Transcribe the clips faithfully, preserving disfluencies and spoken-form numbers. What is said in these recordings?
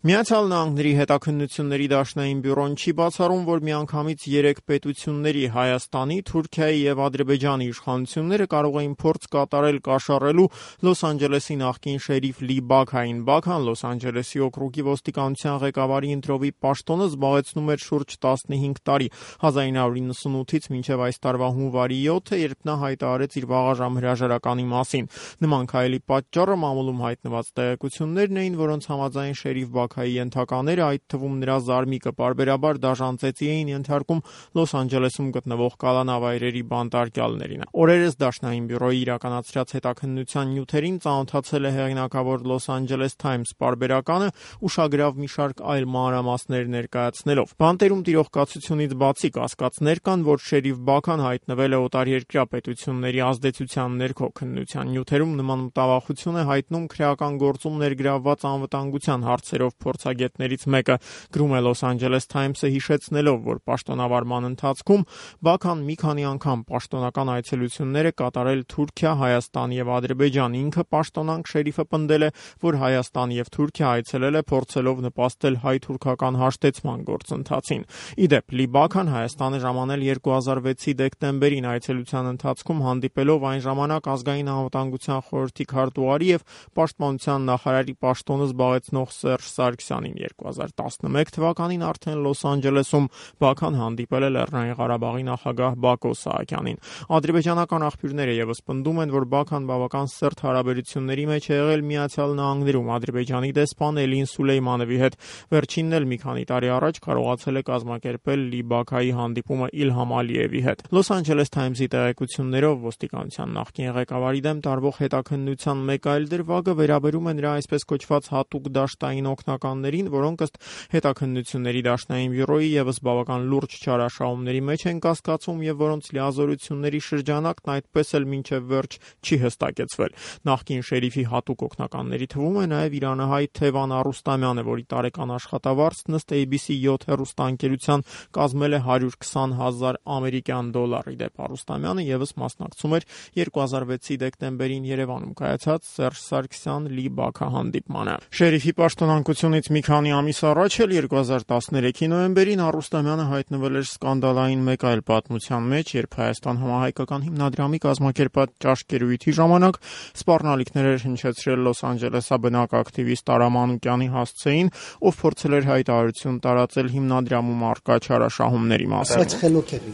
Միացյալ Նահանգների հետաքննությունների դաշնային բյուրոն չի բացառում, որ միանգամից երեք պետությունների՝ Հայաստանի, Թուրքիայի և Ադրբեջանի իշխանությունները կարող էին փորձ կատարել կաշառելու Լոս Անջելեսի նախկին շերիֆ Լի Բաքային։ Բաքան Լոս Անջելեսի օկրուգի ոստիկանության ղեկավարի ընտրովի պաշտոնը զբաղեցնում էր շուրջ տասնհինգ տարի՝ հազար ինը հարյուր նվաթից մինչև այս տարվա հունվարի յոթը, երբ նա հայտարարեց իր վաղաժամ հրաժարականի մասին։ Նման քայլի պատճառը մամուլում հայտնված տեղեկություններն էին, որոնց համաձայն շերիֆ Բաքայի ենթակաները, այդ թվում նրա զարմիկը, պարբերաբար դաժան ծեծի էին ենթարկում Լոս Անջելեսում գտնվող կալանավայրերի բանտարկյալներին։ Օրերս դաշնային բյուրոյի իրականացրած հետաքննության նյութերին ծանոթացել է հեղինակավոր Los Angeles Times պարբերականը, ուշագրավ մի շարք այլ մանրամասներ ներկայացնելով։ Բանտերում տիրող կացությունից բացի կասկածներ կան, որ շերիֆ Բաքան հայտնվել է օտարերկրյա պետությունների ազդեցության ներքո։ Քննության նյութերում նման մտավախություն է հայտնում քրեական գործում ներգրավված անվտանգության հարցերով փորձագետներից մեկը, գրում է Los Angeles Times-ը, հիշեցնելով, որ պաշտոնավարման ընթացքում Բաքան մի քանի անգամ պաշտոնական այցելություններ է կատարել Թուրքիա, Հայաստան և Ադրբեջան։ Ինքը պաշտոնանկ շերիֆը պնդել է, որ Հայաստան և Թուրքիա այցելել է փորձելով նպաստել հայ-թուրքական հաշտեցման գործընթացին։ Ի դեպ, Լի Բաքան Հայաստան է ժամանել երկու հազար վեցի դեկտեմբերին, այցելության ընթացքում հանդիպելով այն ժամանակ ազգային անվտանգության խորհրդի քարտուղարի և պաշտպանության նախարարի պաշտոնը զբաղեցնող Սերժ Սարգսյանին։ երկու հազար տասնմեկ թվականին արդեն Լոս Անջելեսում Բաքան հանդիպել է Լեռնային Ղարաբաղի նախագահ Բակո Սահակյանին։ Ադրբեջանական աղբյուրները ևս պնդում են, որ Բաքան բավական սերտ հարաբերությունների մեջ է եղել Միացյալ Նահանգներում Ադրբեջանի դեսպան Էլին Սուլեյմանովի հետ։ Վերջինն էլ մի քանի տարի առաջ կարողացել է կազմակերպել Լի Բաքայի հանդիպումը Իլհամ Ալիևի հետ։ Los Angeles Times-ի տեղեկություններով ոստիկանության նախկին ղեկավարի դեմ տարվող հետաքննության մեկ այլ դրվագը վերաբերում է նրա այսպես կոչված հատուկ դաշտային օգնականներին, որոնք ըստ հետաքննությունների դաշնային բյուրոյի ևս բավական լուրջ չարաշահումների մեջ են կասկածում և որոնց լիազորությունների շրջանակն այդպես էլ մինչև վերջ չի հստակեցվել։ Նախկին շերիֆի հատուկ օգնականների թվում է նաև իրանահայ Թևան Առուստամյանը, որի տարեկան աշխատավարձն ըստ A B C յոթ հեռուստաընկերության կազմել է հարյուր քսան հազար ամերիկյան դոլար։ Ի դեպ, Առուստամյանը ևս մասնակցում էր երկու հազար վեցի դեկտեմբերին Երևանում կայացած Սերժ Սարգսյան-Լի Բաքա հանդիպմանը։ Շերիֆի պաշտոնանկությունից մի քանի ամիս առաջ էլ երկու հազար տասներեքի նոյեմբերին Առուստամյանը հայտնվել էր սկանդալային մեկ այլ պատմության մեջ, երբ Հայաստան համահայկական հիմնադրամի կազմակերպած ճաշկերույթի ժամանակ սպառնալիքներ էր հնչեցրել Լոս Անջելեսաբնակ ակտիվիստ Արա Մանուկյանի հասցեին, ով փորձել էր հայտարարություն տարածել հիմնադրամում առկա չարաշահումների մասին։ Բայց խելոք եք։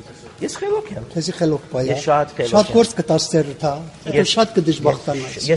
Ես խելոք եմ։ Քեզի խելոք բայ։ Ես շատ խելոք եմ։ Շատ գործ կտաս ծերդ, հա։ Եթե շատ կդժբախտանաս։